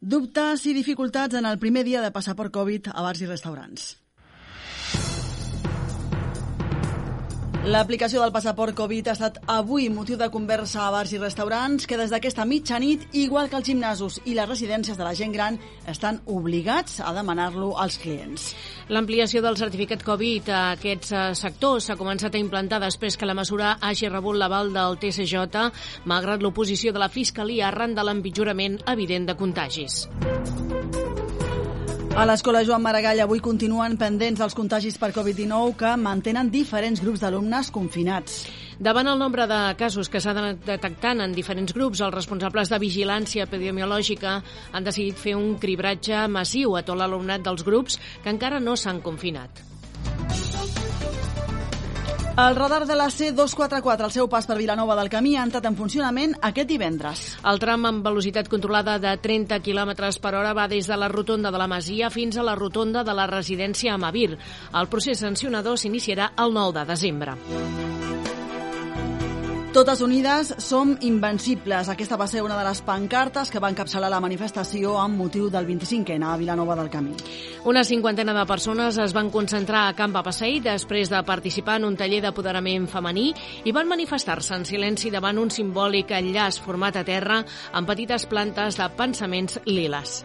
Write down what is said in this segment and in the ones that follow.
Dubtes i dificultats en el primer dia de passaport Covid a bars i restaurants. L'aplicació del passaport Covid ha estat avui motiu de conversa a bars i restaurants que des d'aquesta mitjanit, igual que els gimnasos i les residències de la gent gran, estan obligats a demanar-lo als clients. L'ampliació del certificat Covid a aquests sectors s'ha començat a implantar després que la mesura hagi rebut l'aval del TSJ, malgrat l'oposició de la Fiscalia arran de l'empitjorament evident de contagis. A l'Escola Joan Maragall avui continuen pendents dels contagis per Covid-19 que mantenen diferents grups d'alumnes confinats. Davant el nombre de casos que s'han detectant en diferents grups, els responsables de vigilància epidemiològica han decidit fer un cribratge massiu a tot l'alumnat dels grups que encara no s'han confinat. El radar de la C244 al seu pas per Vilanova del Camí ha entrat en funcionament aquest divendres. El tram amb velocitat controlada de 30 km per hora va des de la rotonda de la Masia fins a la rotonda de la residència Amavir. El procés sancionador s'iniciarà el 9 de desembre. Totes unides som invencibles. Aquesta va ser una de les pancartes que va encapçalar la manifestació amb motiu del 25N a Vilanova del Camí. Una cinquantena de persones es van concentrar a Camp Passeig després de participar en un taller d'apoderament femení i van manifestar-se en silenci davant un simbòlic enllaç format a terra amb petites plantes de pensaments liles.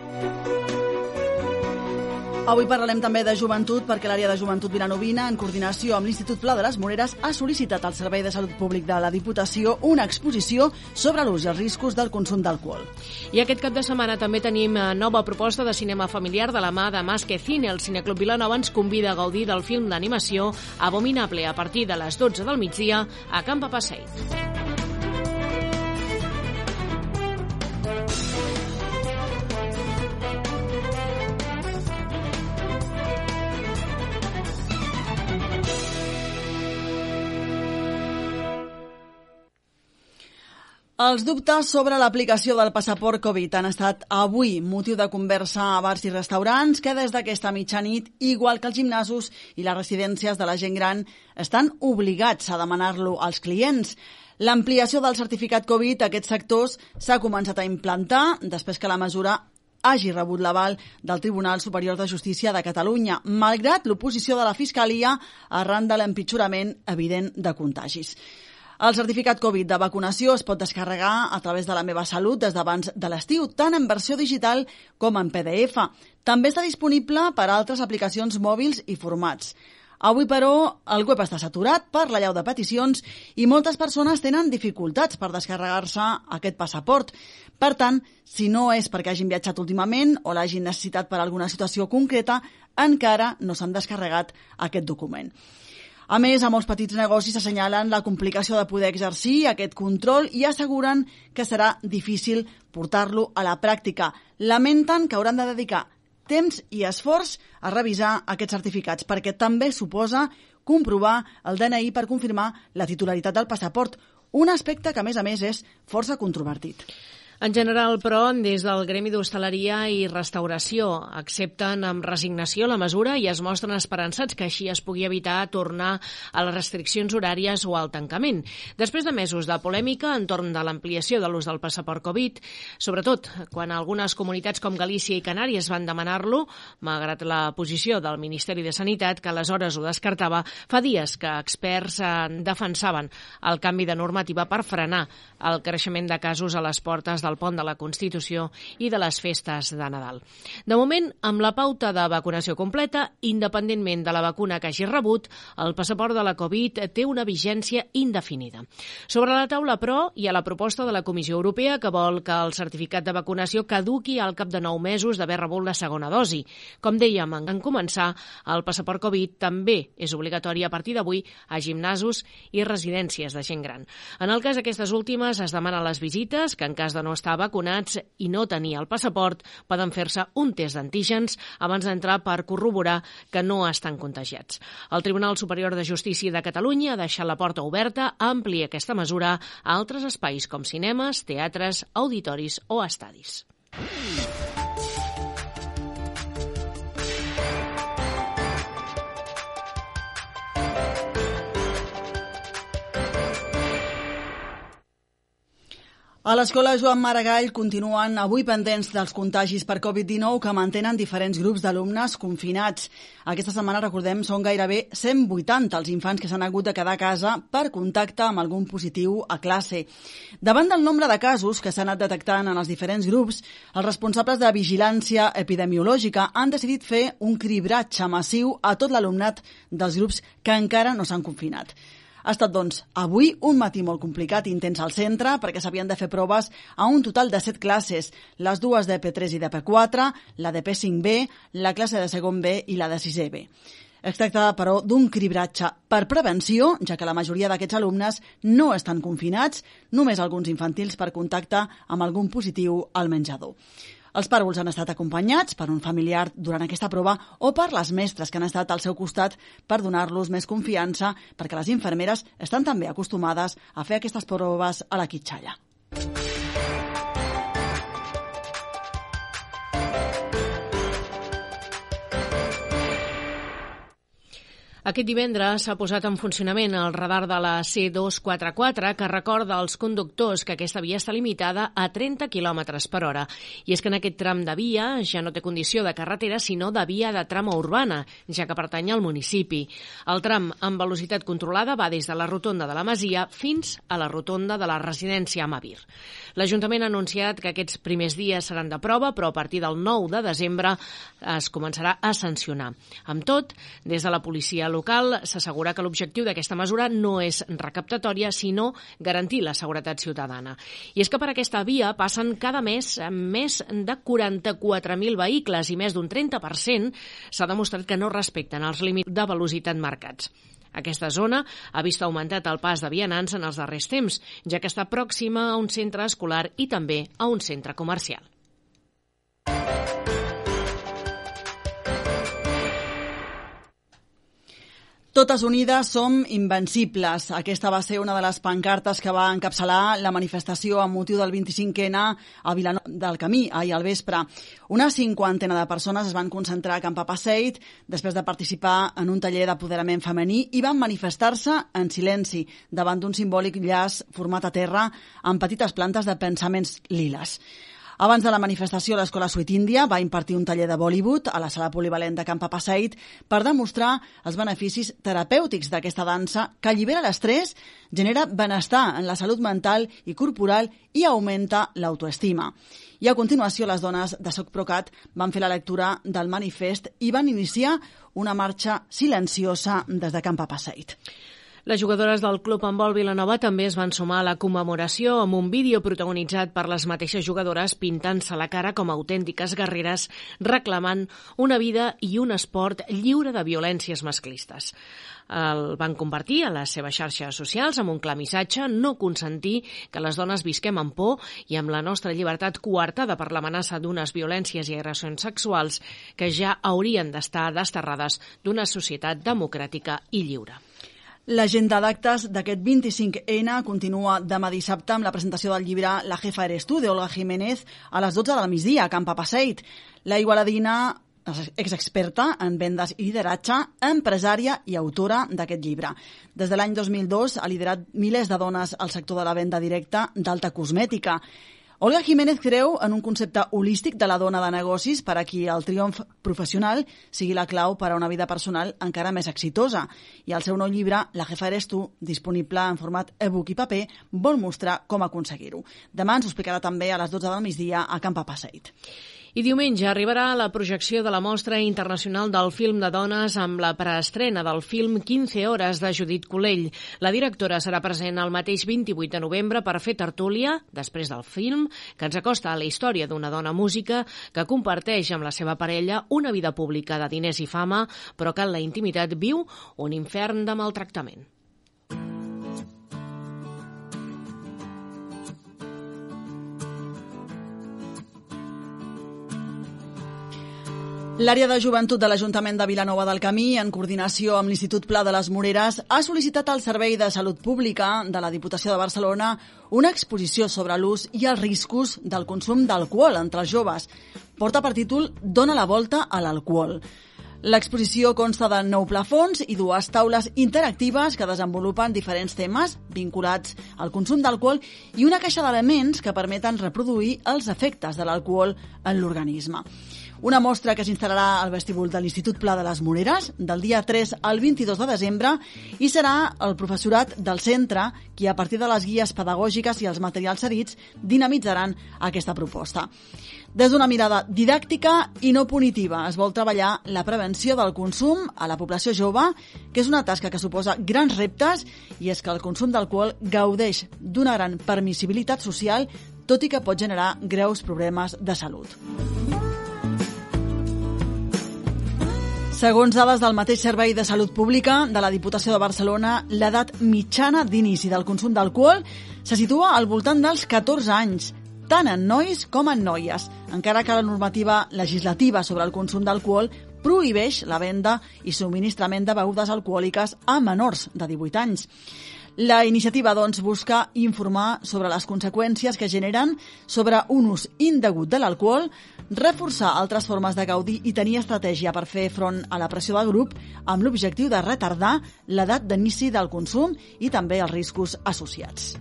Avui parlarem també de joventut perquè l'àrea de joventut vilanovina, en coordinació amb l'Institut Pla de les Moreres, ha sol·licitat al Servei de Salut Públic de la Diputació una exposició sobre l'ús i els riscos del consum d'alcohol. I aquest cap de setmana també tenim nova proposta de cinema familiar de la mà de Más que Cine. El Cineclub Vilanova ens convida a gaudir del film d'animació Abominable a partir de les 12 del migdia a Camp Passeig. Els dubtes sobre l'aplicació del passaport Covid han estat avui motiu de conversa a bars i restaurants que des d'aquesta mitjanit, igual que els gimnasos i les residències de la gent gran, estan obligats a demanar-lo als clients. L'ampliació del certificat Covid a aquests sectors s'ha començat a implantar després que la mesura hagi rebut l'aval del Tribunal Superior de Justícia de Catalunya, malgrat l'oposició de la Fiscalia arran de l'empitjorament evident de contagis. El certificat Covid de vacunació es pot descarregar a través de la Meva Salut des d'abans de l'estiu, tant en versió digital com en PDF. També està disponible per a altres aplicacions mòbils i formats. Avui, però, el web està saturat per l'allau de peticions i moltes persones tenen dificultats per descarregar-se aquest passaport. Per tant, si no és perquè hagin viatjat últimament o l'hagin necessitat per alguna situació concreta, encara no s'han descarregat aquest document. A més, a molts petits negocis assenyalen la complicació de poder exercir aquest control i asseguren que serà difícil portar-lo a la pràctica. Lamenten que hauran de dedicar temps i esforç a revisar aquests certificats, perquè també suposa comprovar el DNI per confirmar la titularitat del passaport, un aspecte que, a més, és força controvertit. En general, però, des del Gremi d'Hostaleria i Restauració accepten amb resignació la mesura i es mostren esperançats que així es pugui evitar tornar a les restriccions horàries o al tancament. Després de mesos de polèmica entorn de l'ampliació de l'ús del passaport Covid, sobretot quan algunes comunitats com Galícia i Canàries van demanar-lo, malgrat la posició del Ministeri de Sanitat, que aleshores ho descartava, fa dies que experts defensaven el canvi de normativa per frenar el creixement de casos a les portes del Pont de la Constitució i de les festes de Nadal. De moment, amb la pauta de vacunació completa, independentment de la vacuna que hagi rebut, el passaport de la Covid té una vigència indefinida. Sobre la taula, però, hi ha la proposta de la Comissió Europea que vol que el certificat de vacunació caduqui al cap de 9 mesos d'haver rebut la segona dosi. Com dèiem en començar, el passaport Covid també és obligatori a partir d'avui a gimnasos i residències de gent gran. En el cas d'aquestes últimes, es demanen les visites, que en cas de no estar vacunats i no tenir el passaport, poden fer-se un test d'antígens abans d'entrar per corroborar que no estan contagiats. El Tribunal Superior de Justícia de Catalunya ha deixat la porta oberta a ampliar aquesta mesura a altres espais com cinemes, teatres, auditoris o estadis. A l'escola Joan Maragall continuen avui pendents dels contagis per Covid-19 que mantenen diferents grups d'alumnes confinats. Aquesta setmana, recordem, són gairebé 180 els infants que s'han hagut de quedar a casa per contacte amb algun positiu a classe. Davant del nombre de casos que s'han anat detectant en els diferents grups, els responsables de vigilància epidemiològica han decidit fer un cribratge massiu a tot l'alumnat dels grups que encara no s'han confinat. Ha estat, doncs, avui un matí molt complicat i intens al centre perquè s'havien de fer proves a un total de 7 classes, les dues d'EP3 i d'EP4, la de P5B, la classe de segon B i la de 6è B. Es tracta, però, d'un cribratge per prevenció, ja que la majoria d'aquests alumnes no estan confinats, només alguns infantils per contacte amb algun positiu al menjador. Els pàrvuls han estat acompanyats per un familiar durant aquesta prova o per les mestres que han estat al seu costat per donar-los més confiança, perquè les infermeres estan també acostumades a fer aquestes proves a la quitxalla. Aquest divendres s'ha posat en funcionament el radar de la C244 que recorda als conductors que aquesta via està limitada a 30 km per hora. I és que en aquest tram de via ja no té condició de carretera, sinó de via de trama urbana, ja que pertany al municipi. El tram amb velocitat controlada va des de la rotonda de la Masia fins a la rotonda de la residència Amavir. L'Ajuntament ha anunciat que aquests primers dies seran de prova, però a partir del 9 de desembre es començarà a sancionar. Amb tot, des de la policia local s'assegura que l'objectiu d'aquesta mesura no és recaptatòria, sinó garantir la seguretat ciutadana. I és que per aquesta via passen cada mes més de 44.000 vehicles i més d'un 30% s'ha demostrat que no respecten els límits de velocitat marcats. Aquesta zona ha vist augmentat el pas de vianants en els darrers temps, ja que està pròxima a un centre escolar i també a un centre comercial. Totes unides som invencibles. Aquesta va ser una de les pancartes que va encapçalar la manifestació amb motiu del 25N a Vilanova del Camí, ahir al vespre. Una 50 de persones es van concentrar a Can Papaseit després de participar en un taller d'apoderament femení i van manifestar-se en silenci davant d'un simbòlic llaç format a terra amb petites plantes de pensaments liles. Abans de la manifestació, l'Escola Sweet India va impartir un taller de Bollywood a la sala polivalent de Can Papaseit per demostrar els beneficis terapèutics d'aquesta dansa que allibera l'estrès, genera benestar en la salut mental i corporal i augmenta l'autoestima. I a continuació, les dones de Soc Procat van fer la lectura del manifest i van iniciar una marxa silenciosa des de Can Papaseit. Les jugadores del Club Handbol Vilanova també es van sumar a la commemoració amb un vídeo protagonitzat per les mateixes jugadores pintant-se la cara com a autèntiques guerreres, reclamant una vida i un esport lliure de violències masclistes. El van compartir a les seves xarxes socials amb un clar missatge: no consentir que les dones visquem amb por i amb la nostra llibertat coartada per l'amenaça d'unes violències i agressions sexuals que ja haurien d'estar desterrades d'una societat democràtica i lliure. L'agenda d'actes d'aquest 25N continua demà dissabte amb la presentació del llibre La jefa eres tú, d'Olga Jiménez, a les 12 del migdia, a Can Papaseit. La igualadina, exexperta en vendes i lideratge, empresària i autora d'aquest llibre. Des de l'any 2002 ha liderat milers de dones al sector de la venda directa d'alta cosmètica. Olga Jiménez creu en un concepte holístic de la dona de negocis per a qui el triomf professional sigui la clau per a una vida personal encara més exitosa. I el seu nou llibre, La jefa eres tú, disponible en format e-book i paper, vol mostrar com aconseguir-ho. Demà ens ho explicarà també a les 12 del migdia a Can Papaseit. I diumenge arribarà la projecció de la Mostra Internacional del Film de Dones amb la preestrena del film 15 hores de Judit Colell. La directora serà present el mateix 28 de novembre per fer tertúlia, després del film, que ens acosta a la història d'una dona música que comparteix amb la seva parella una vida pública de diners i fama, però que en la intimitat viu un infern de maltractament. L'àrea de joventut de l'Ajuntament de Vilanova del Camí, en coordinació amb l'Institut Pla de les Moreres, ha sol·licitat al Servei de Salut Pública de la Diputació de Barcelona una exposició sobre l'ús i els riscos del consum d'alcohol entre els joves. Porta per títol Dona la volta a l'alcohol. L'exposició consta de 9 plafons i 2 taules interactives que desenvolupen diferents temes vinculats al consum d'alcohol i una caixa d'elements que permeten reproduir els efectes de l'alcohol en l'organisme. Una mostra que s'instal·larà al vestíbul de l'Institut Pla de les Moreres del dia 3 al 22 de desembre i serà el professorat del centre qui, a partir de les guies pedagògiques i els materials cedits, dinamitzaran aquesta proposta. Des d'una mirada didàctica i no punitiva es vol treballar la prevenció del consum a la població jove, que és una tasca que suposa grans reptes, i és que el consum d'alcohol gaudeix d'una gran permissibilitat social, tot i que pot generar greus problemes de salut. Segons dades del mateix Servei de Salut Pública de la Diputació de Barcelona, l'edat mitjana d'inici del consum d'alcohol se situa al voltant dels 14 anys, tant en nois com en noies, encara que la normativa legislativa sobre el consum d'alcohol prohibeix la venda i subministrament de begudes alcohòliques a menors de 18 anys. La iniciativa, doncs, busca informar sobre les conseqüències que generen sobre un ús indegut de l'alcohol, reforçar altres formes de gaudir i tenir estratègia per fer front a la pressió del grup amb l'objectiu de retardar l'edat d'inici del consum i també els riscos associats.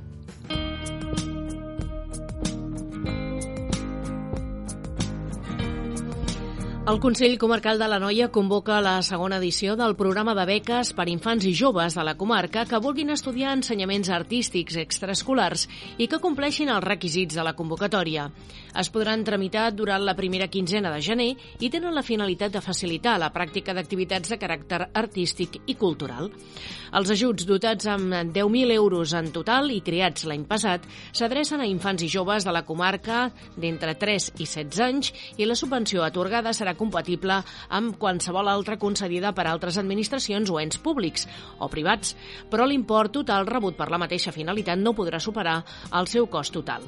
El Consell Comarcal de l'Anoia convoca la segona edició del programa de beques per infants i joves de la comarca que vulguin estudiar ensenyaments artístics extraescolars i que compleixin els requisits de la convocatòria. Es podran tramitar durant la primera quinzena de gener i tenen la finalitat de facilitar la pràctica d'activitats de caràcter artístic i cultural. Els ajuts, dotats amb 10.000 euros en total i creats l'any passat, s'adrecen a infants i joves de la comarca d'entre 3 i 16 anys i la subvenció atorgada serà compatible amb qualsevol altra concedida per altres administracions o ens públics o privats, però l'import total rebut per la mateixa finalitat no podrà superar el seu cost total.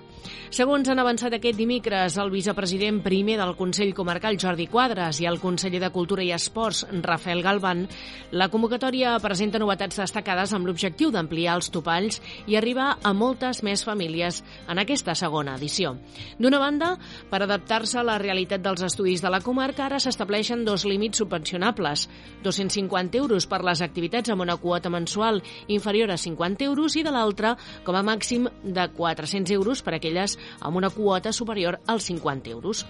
Segons han avançat aquest dimecres el vicepresident primer del Consell Comarcal, Jordi Quadras, i el conseller de Cultura i Esports, Rafael Galván, la convocatòria presenta novetats destacades amb l'objectiu d'ampliar els topalls i arribar a moltes més famílies en aquesta segona edició. D'una banda, per adaptar-se a la realitat dels estudis de la comarca, ara s'estableixen 2 límits subvencionables, 250 euros per les activitats amb una quota mensual inferior a 50 euros i de l'altra com a màxim de 400 euros per a aquelles amb una quota superior als 50 euros.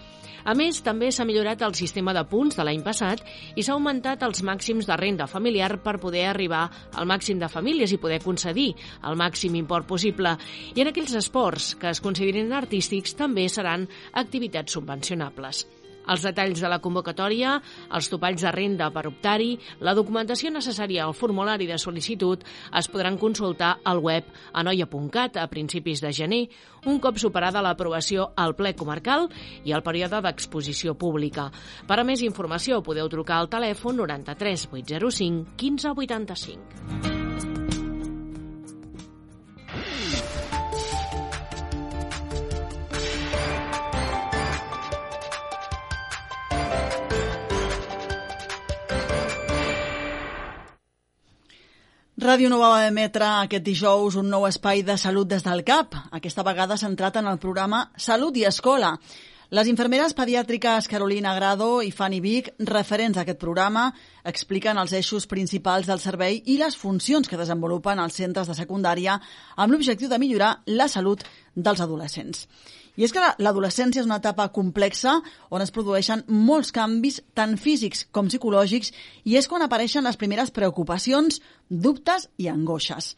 A més, també s'ha millorat el sistema de punts de l'any passat i s'ha augmentat els màxims de renda familiar per poder arribar al màxim de famílies i poder concedir el màxim import possible. I en aquells esports que es considerin artístics també seran activitats subvencionables. Els detalls de la convocatòria, els topalls de renda per optar-hi, la documentació necessària al formulari de sol·licitud es podran consultar al web anoia.cat a principis de gener, un cop superada l'aprovació al ple comarcal i el període d'exposició pública. Per a més informació podeu trucar al telèfon 93 805 15 85. Ràdio Nova va emetre aquest dijous un nou espai de salut des del CAP, aquesta vegada centrat en el programa Salut i Escola. Les infermeres pediàtriques Carolina Grado i Fanny Vic, referents d'aquest programa, expliquen els eixos principals del servei i les funcions que desenvolupen els centres de secundària amb l'objectiu de millorar la salut dels adolescents. I és que l'adolescència és una etapa complexa on es produeixen molts canvis tant físics com psicològics i és quan apareixen les primeres preocupacions, dubtes i angoixes.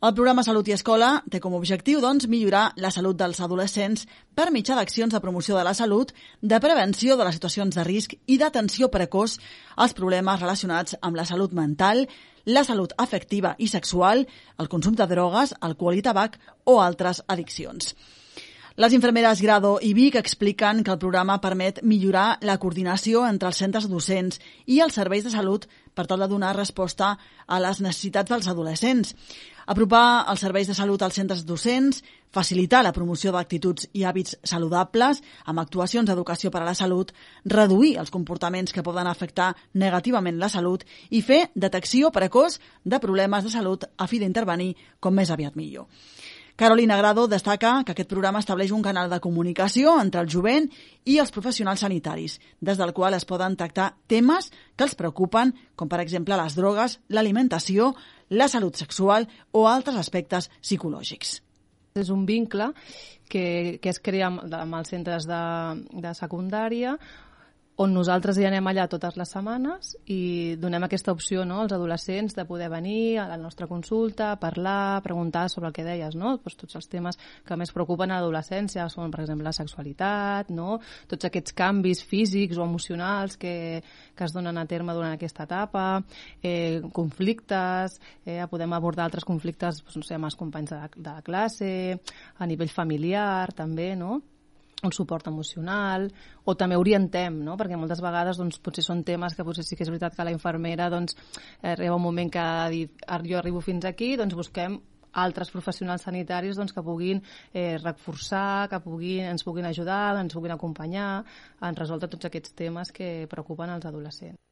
El programa Salut i Escola té com a objectiu, doncs, millorar la salut dels adolescents per mitjà d'accions de promoció de la salut, de prevenció de les situacions de risc i d'atenció precoç als problemes relacionats amb la salut mental, la salut afectiva i sexual, el consum de drogues, alcohol i tabac o altres addiccions. Les infermeres Grado i Vic expliquen que el programa permet millorar la coordinació entre els centres docents i els serveis de salut per tal de donar resposta a les necessitats dels adolescents. Apropar els serveis de salut als centres docents, facilitar la promoció d'actituds i hàbits saludables amb actuacions d'educació per a la salut, reduir els comportaments que poden afectar negativament la salut i fer detecció precoç de problemes de salut a fi d'intervenir com més aviat millor. Carolina Grado destaca que aquest programa estableix un canal de comunicació entre el jovent i els professionals sanitaris, des del qual es poden tractar temes que els preocupen, com per exemple les drogues, l'alimentació, la salut sexual o altres aspectes psicològics. És un vincle que es crea amb els centres de secundària, on nosaltres hi anem allà totes les setmanes i donem aquesta opció, no, als adolescents de poder venir a la nostra consulta, parlar, preguntar sobre el que deies, no? Pues tots els temes que més preocupen a l'adolescència són, per exemple, la sexualitat, no? Tots aquests canvis físics o emocionals que es donen a terme durant aquesta etapa, conflictes, podem abordar altres conflictes, pues, no sé, amb els companys de classe, a nivell familiar també, no? Un suport emocional, o també orientem, no? Perquè moltes vegades doncs, potser són temes que potser sí que és veritat que la infermera doncs, arriba un moment que ha dit jo arribo fins aquí, doncs busquem altres professionals sanitaris doncs, que puguin reforçar, que ens puguin ajudar, ens puguin acompanyar en resoldre tots aquests temes que preocupen els adolescents.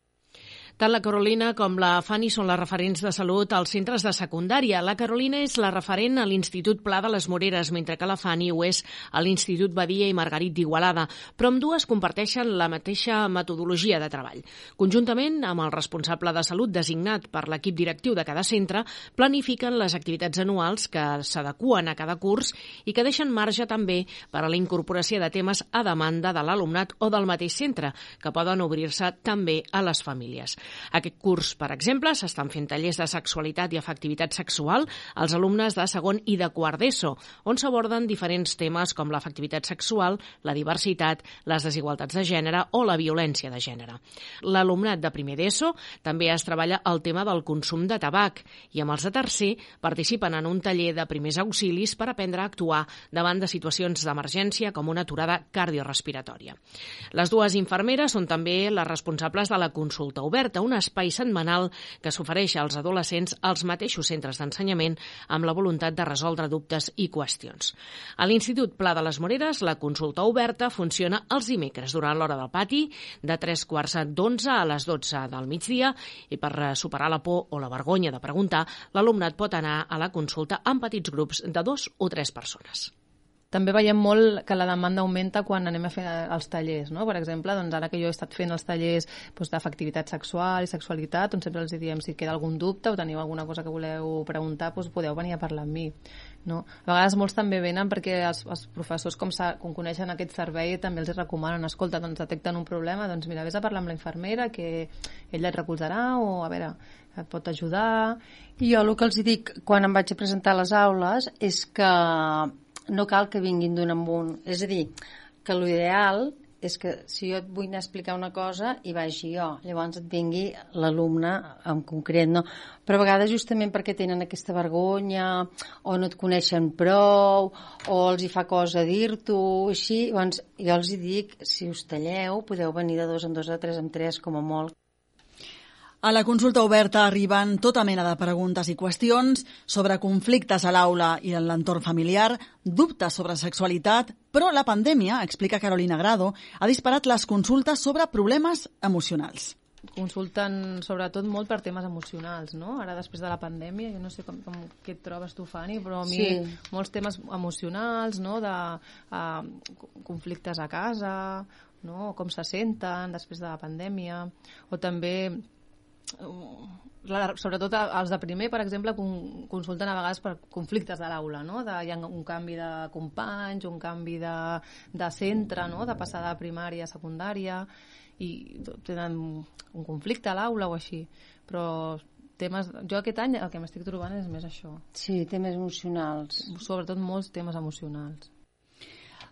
Tant la Carolina com la Fanny són les referents de salut als centres de secundària. La Carolina és la referent a l'Institut Pla de les Moreres, mentre que la Fanny ho és a l'Institut Badia i Margarit d'Igualada, però ambdues comparteixen la mateixa metodologia de treball. Conjuntament amb el responsable de salut designat per l'equip directiu de cada centre, planifiquen les activitats anuals que s'adeqüen a cada curs i que deixen marge també per a la incorporació de temes a demanda de l'alumnat o del mateix centre, que poden obrir-se també a les famílies. Aquest curs, per exemple, s'estan fent tallers de sexualitat i afectivitat sexual als alumnes de segon i de quart d'ESO, on s'aborden diferents temes com l'afectivitat sexual, la diversitat, les desigualtats de gènere o la violència de gènere. L'alumnat de primer d'ESO també es treballa el tema del consum de tabac i amb els de tercer participen en un taller de primers auxilis per aprendre a actuar davant de situacions d'emergència com una aturada cardiorespiratòria. Les dues infermeres són també les responsables de la consulta oberta, un espai setmanal que s'ofereix als adolescents als mateixos centres d'ensenyament amb la voluntat de resoldre dubtes i qüestions. A l'Institut Pla de les Moreres, la consulta oberta funciona els dimecres durant l'hora del pati, de 3:15 a les 12 del migdia, i per superar la por o la vergonya de preguntar, l'alumnat pot anar a la consulta en petits grups de 2 o 3 persones. També veiem molt que la demanda augmenta quan anem a fer els tallers, no? Per exemple, doncs ara que jo he estat fent els tallers doncs, d'afectivitat sexual i sexualitat, doncs sempre els diem si queda algun dubte o teniu alguna cosa que voleu preguntar, doncs podeu venir a parlar amb mi. No? A vegades molts també venen perquè els professors, com coneixen aquest servei, també els recomanen, escolta, doncs detecten un problema, doncs mira, vés a parlar amb la infermera que ella et recolzarà o a veure, et pot ajudar. I jo el que els dic quan em vaig a presentar a les aules és que no cal que vinguin d'un en un. És a dir, que l'ideal és que si jo et vull anar a explicar una cosa hi vagi jo, llavors et vingui l'alumne en concret, no? Però a vegades justament perquè tenen aquesta vergonya o no et coneixen prou o els hi fa cosa dir-t'ho, així, llavors jo els hi dic, si us talleu podeu venir de 2 en 2, de 3 en 3 com a molt. A la consulta oberta arriben tota mena de preguntes i qüestions sobre conflictes a l'aula i en l'entorn familiar, dubtes sobre sexualitat, però la pandèmia, explica Carolina Grado, ha disparat les consultes sobre problemes emocionals. Consulten sobretot molt per temes emocionals, no? Ara després de la pandèmia, jo no sé què et trobes tu, Fanny, però a mi molts temes emocionals, no? De conflictes a casa, no? Com se senten després de la pandèmia, o també sobretot els de primer, per exemple, consulten a vegades per conflictes de l'aula, no? Hi ha un canvi de companys, un canvi de centre, no? De passar de primària a secundària, i tenen un conflicte a l'aula o així, però jo aquest any el que m'estic trobant és més això. Sí, temes emocionals. Sobretot molts temes emocionals.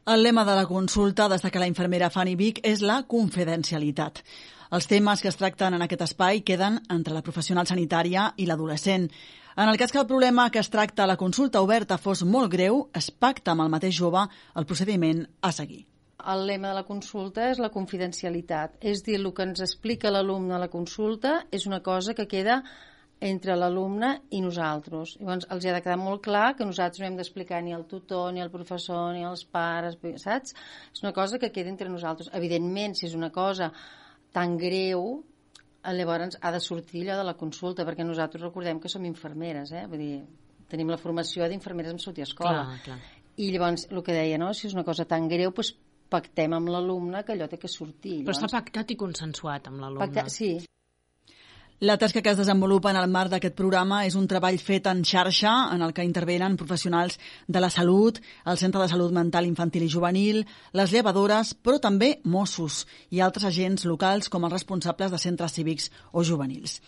El lema de la consulta, des de que la infermera Fanny Vic, és la confidencialitat. Els temes que es tracten en aquest espai queden entre la professional sanitària i l'adolescent. En el cas que el problema que es tracta a la consulta oberta fos molt greu, es pacta amb el mateix jove el procediment a seguir. El lema de la consulta és la confidencialitat. És dir, el que ens explica l'alumne a la consulta és una cosa que queda entre l'alumne i nosaltres. Llavors, els ha de quedar molt clar que nosaltres no hem d'explicar ni al tutor, ni al professor, ni als pares, saps? És una cosa que queda entre nosaltres. Evidentment, si és una cosa tan greu, llavors ha de sortir allò de la consulta, perquè nosaltres recordem que som infermeres, vull dir, tenim la formació d'infermeres en salut i escola. Clar. I llavors, el que deia, no? Si és una cosa tan greu, doncs pactem amb l'alumne que allò té que sortir. Però està pactat i consensuat amb l'alumne. Sí. La tasca que es desenvolupa en el marc d'aquest programa és un treball fet en xarxa en el que intervenen professionals de la salut, el Centre de Salut Mental Infantil i Juvenil, les llevadores, però també Mossos i altres agents locals com els responsables de centres cívics o juvenils.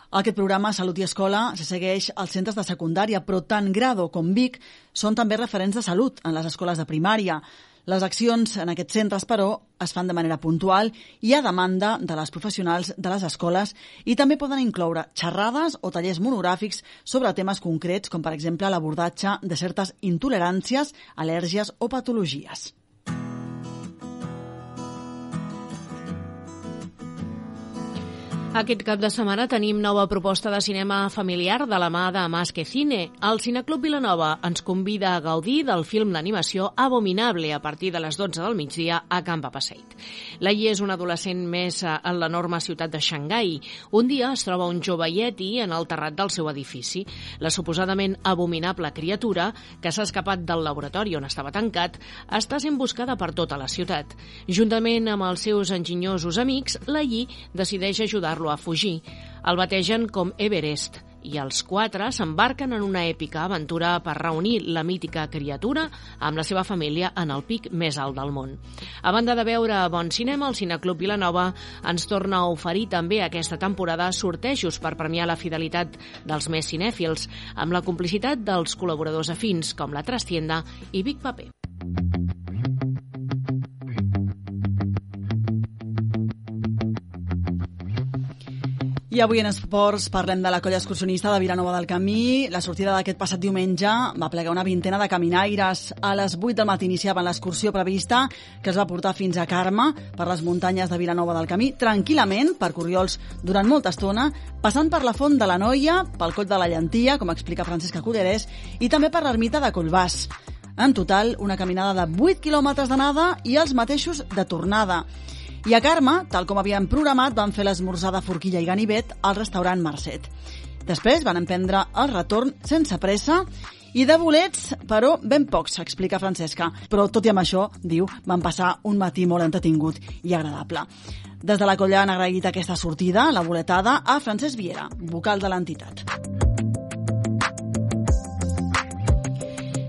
Aquest programa, Salut i Escola, se segueix als centres de secundària, però tant Grado com Vic són també referents de salut en les escoles de primària. Les accions en aquests centres, però, es fan de manera puntual i a demanda de les professionals de les escoles i també poden incloure xerrades o tallers monogràfics sobre temes concrets, com per exemple l'abordatge de certes intoleràncies, al·lèrgies o patologies. Aquest cap de setmana tenim nova proposta de cinema familiar de la mà de Más que Cine. El Cineclub Vilanova ens convida a gaudir del film d'animació Abominable a partir de les 12 del migdia a Camp Passeig. Lai és un adolescent més en l'enorme ciutat de Xangai. Un dia es troba un jove ieti en el terrat del seu edifici. La suposadament abominable criatura, que s'ha escapat del laboratori on estava tancat, està sent buscada per tota la ciutat. Juntament amb els seus enginyosos amics, Lai decideix ajudar-lo a fugir. El bategen com Everest i els 4 s'embarquen en una èpica aventura per reunir la mítica criatura amb la seva família en el pic més alt del món. A banda de veure bon cinema, el Cineclub Vilanova ens torna a oferir també aquesta temporada sortejos per premiar la fidelitat dels més cinèfils, amb la complicitat dels col·laboradors afins com La Trastienda i Vic Paper. I avui en esports parlem de la colla excursionista de Vilanova del Camí. La sortida d'aquest passat diumenge va plegar una vintena de caminaires. A les 8 del matí iniciaven l'excursió prevista, que es va portar fins a Carme, per les muntanyes de Vilanova del Camí, tranquil·lament, per Corriols, durant molta estona, passant per la Font de la Noia, pel Coll de la Llentia, com explica Francesca Cullerés, i també per l'ermita de Collbàs. En total, una caminada de 8 quilòmetres d'anada i els mateixos de tornada. I a Carme, tal com havien programat, van fer l'esmorzar de forquilla i ganivet al restaurant Marcet. Després van emprendre el retorn sense pressa i de bolets, però ben pocs, explica Francesca. Però tot i amb això, diu, van passar un matí molt entretingut i agradable. Des de la colla han agraït aquesta sortida, la boletada, a Francesc Viera, vocal de l'entitat.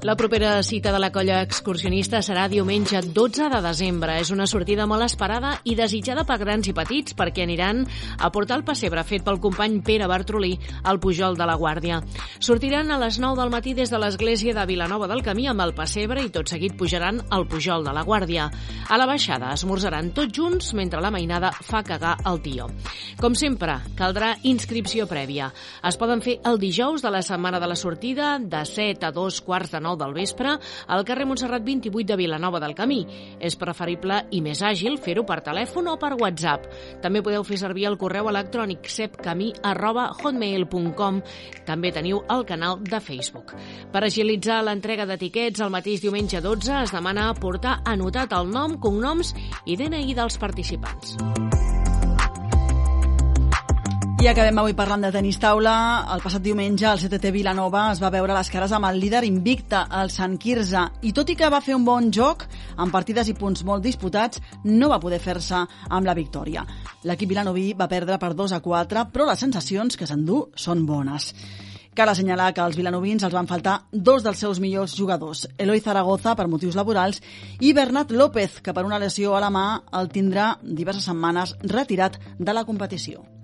La propera cita de la colla excursionista serà diumenge 12 de desembre. És una sortida molt esperada i desitjada per grans i petits perquè aniran a portar el pessebre fet pel company Pere Bartrolí al Pujol de la Guàrdia. Sortiran a les 9 del matí des de l'església de Vilanova del Camí amb el pessebre i tot seguit pujaran al Pujol de la Guàrdia. A la baixada esmorzaran tots junts mentre la mainada fa cagar el tió. Com sempre, caldrà inscripció prèvia. Es poden fer el dijous de la setmana de la sortida de 7 a 2:15 del vespre al carrer Montserrat 28 de Vilanova del Camí. És preferible i més àgil fer-ho per telèfon o per WhatsApp. També podeu fer servir el correu electrònic sepcamí@hotmail.com. També teniu el canal de Facebook. Per agilitzar l'entrega d'etiquets, el mateix diumenge 12 es demana portar anotat el nom, cognoms i DNI dels participants. I acabem avui parlant de tenis taula. El passat diumenge el CTT Vilanova es va veure les cares amb el líder invicte, el Sant Quirze, i tot i que va fer un bon joc, amb partides i punts molt disputats, no va poder fer-se amb la victòria. L'equip vilanoví va perdre per 2-4, però les sensacions que s'endú són bones. Cal assenyalar que als vilanovins els van faltar 2 dels seus millors jugadors, Eloi Zaragoza per motius laborals i Bernat López, que per una lesió a la mà el tindrà diverses setmanes retirat de la competició.